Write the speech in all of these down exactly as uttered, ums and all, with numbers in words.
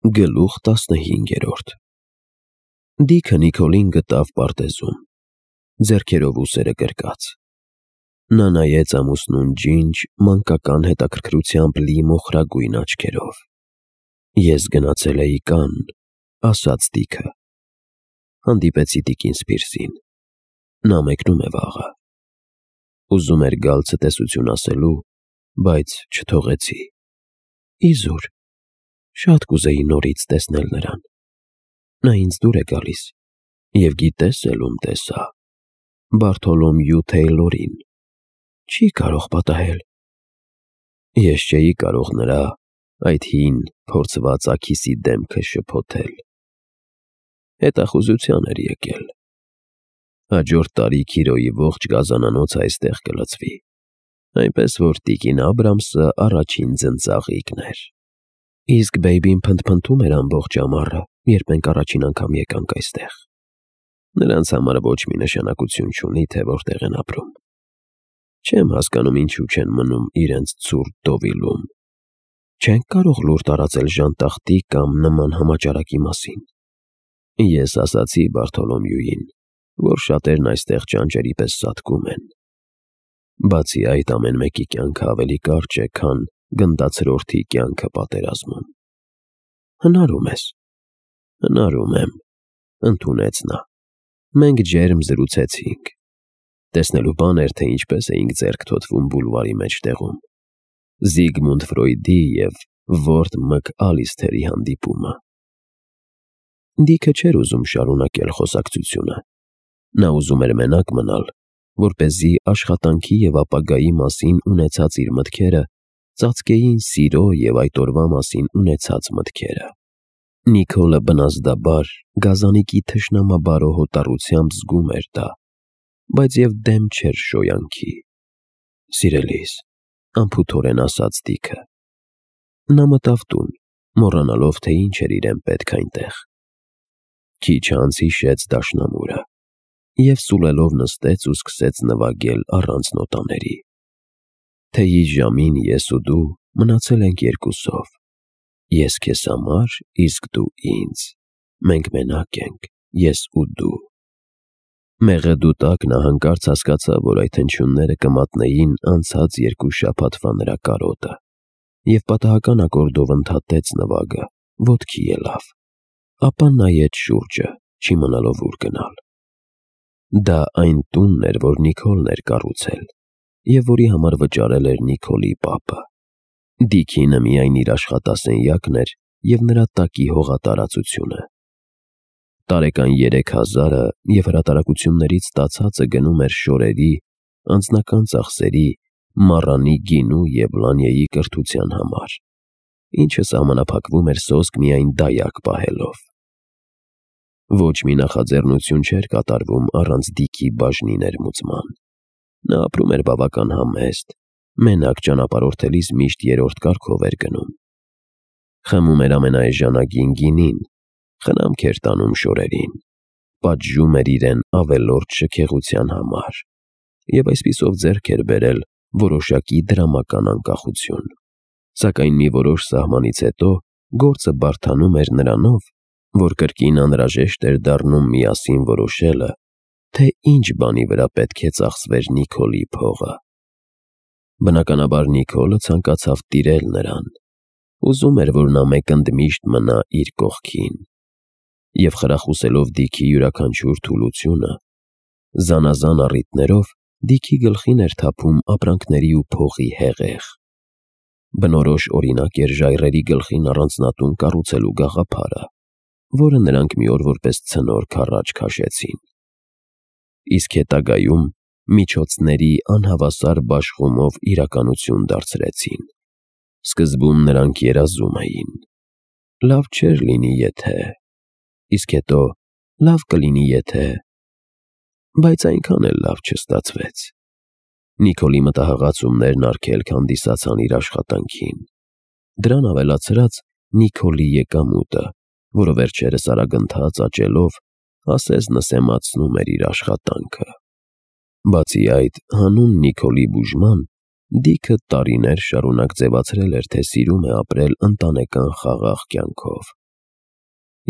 Գլուխ տասնհինգերորդ Դիքը Նիկոլին գտավ պարտեզում, ձեռքերով ուսերը կրկած: Նա նայեց ամուսնուն ջինջ, մանկական հետաքրքրությամբ լի մոխրագույն աչքերով: «Ես գնացել էի Կանն», ասաց Դիքը: Հանդիպեցի տիկին Սպիրսին: Նա մեկնում է վաղը: Ուզում էր գալ ցտեսություն ասելու, բայց չթողեցի: Իզուր: Շատ կուզեի նորից տեսնել նրան: Նա ինձ դուր է գալիս, և գիտե՞ս էլ ում տեսա: Բարթոլոմյու Թեյլորին: Չի կարող պատահել: Ես չէի կարող նրա այդ հին փորձված աքիսի դեմքը շփոթել: Հետախուզության էր եկել: Հաջորդ տարի Քիրոյի ողջ գազանանոցը այստեղ կլցվի, այնպես որ տիկին Աբրամսը առաջին ձնծաղիկն էր: Իսկ բեյբին փնթփնթում էր ամբողջ ամառը, երբ մենք առաջին անգամ եկանք այստեղ: Նրանց համար ոչ մի նշանակություն չունի, թե որտեղ են ապրում: Չեմ հասկանում ինչու չեն մնում իրենց ցուրտ Դովիլում: Չենք կարող լուր տարածել ժանտախտի կամ նման համաճարակի մասին: Ես ասացի Բարթոլոմյուին, որ շատերն այստեղ ճանճերի պես սատկում են: Բացի այդ, ամեն մեկի կյանքը ավելի կարճ է, քան գնդացրորդի կյանքը պատերազմում: Հնարում ես: Հնարում եմ, ընդունեց նա: Մենք ջերմ զրուցեցինք: Տեսնելու բան էր, թե ինչպես էինք ձեռք թոթվում բուլվարի մեջտեղում: Զիգմունդ Ֆրոյդի և Որտ Մկալիսթերի հանդիպումը: Դիքը չէր ուզում շարունակել խոսակցությունը: Նա ուզում էր մենակ մնալ, որպեսզի աշխատանքի և ապագայի մասին ունեցած իր մտքերը ծածկեին սիրո և այդ օրվա մասին ունեցած մտքերը: Նիկոլը բնազդաբար գազանիկի թշնամաբարո հոտառությամբ զգում էր դա, բայց և դեմ չէր շոյանքի: Սիրելիս, անփութորեն ասաց Դիքը: Նա մտավ տուն, մոռանալով, թե ինչ էր իրեն պետք այնտեղ: Քիչ անց հիշեց դաշնամուրը և սուլելով նստեց ու սկսեց նվագել առանց նոտաների: Թեյի ժամին ես ու դու մնացել ենք երկուսով: Ես քեզ համար, իսկ դու ինձ: Մենք մենակ ենք, ես ու դու: Մեղեդու տակ նա հանկարծ հասկացավ, որ այդ հնչյունները կմատնեին անցած երկու շաբաթվա նրա կարոտը և պատահական ակորդով ընդհատեց նվագը, ոտքի ելավ: Ապա նայեց շուրջը, չիմանալով ուր գնալ: Դա այն տունն էր, որ Նիկոլն էր կառուցել և որի համար վճարել էր Նիկոլի պապը: Դիքինը միայն իր աշխատասենյակն էր և նրա տակի հողատարածությունը: Տարեկան երեք հազարը և հրատարակություններից ստացածը գնում էր շորերի, անձնական ծախսերի, մառանի գինու և Լանյեի կրթության համար, ինչը սահմանափակվում էր սոսկ միայն դայակ պահելով: Ոչ մի նախաձեռնություն չէր կատարվում առանց Դիքի բաժնի ներմուծման: Նա ապրում էր բավական համեստ, մենակ ճանապարհորդելիս միշտ երրորդ կարգով էր գնում: Խմում էր ամենաէժանագին գինին, խնամք էր տանում շորերին, պատժում էր իրեն ավելորդ շքեղության համար և այսպիսով ձեռք էր բերել որոշակի դրամական անկախություն: Սակայն մի որոշ սահմանից հետո գործը բարդանում էր նրանով, որ կրկին անհրաժեշտ էր դառնում միասին որոշելը, թե ինչ բանի վրա պետք է ծախսվեր Նիկոլի փողը: Բնականաբար Նիկոլը ցանկացավ տիրել նրան: Ուզում էր, որ նա մեկ ընդմիշտ մնա իր կողքին: Եվ խրախուսելով Դիքի յուրաքանչյուր թուլությունը, զանազան առիթներով Դիքի գլխին էր թափում ապրանքների ու փողի հեղեղ: Բնորոշ օրինակ էր ժայռերի գլխին առանձնատուն կառուցելու գաղափարը, որը նրանք մի օր որպես ցնոր քառաջ քաշեցին: Իսկ հետագայում միջոցների անհավասար բաշխումով իրականություն դարձրեցին: Սկզբում նրանք երազում էին. լավ չէր լինի եթե... իսկ հետո լավ կլինի եթե... Բայց այնքան էլ լավ չստացվեց: Նիկոլի մտահղացումներն արգելք հանդիսացան իր աշխատանքին: Դրան ավելացրած Նիկոլի եկամուտը, որը վերջերս արագընթաց աճելով ասես-նսեմացնում էր իր աշխատանքը: Բացի այդ, հանուն Նիկոլի բուժման, Դիքը տարիներ շարունակ ձևացրել էր, թե սիրում է ապրել ընտանեկան խաղաղ կյանքով: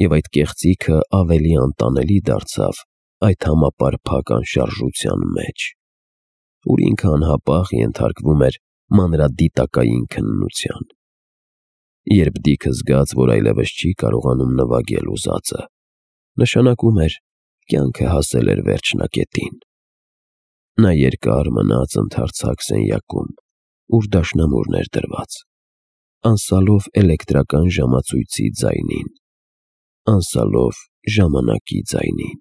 և այդ կեղծիքը ավելի անտանելի դարձավ այդ համապարփակ անշարժության մեջ, ուր ինքը անհապաղ ենթարկվում էր մանրադիտակային քննության։ Երբ Դիքը զգաց, որ այլևս չի կարողանում նվագել ուզածը, նշանակում էր կյանքը հասել էր վերջնակետին։ Նա երկար մնաց ընդարձակ սենյակում, ուր դաշնամուրն էր դրված, անսալով էլեկտրական ժամացույցի ձայնին, անսալով ժամանակի ձայնին։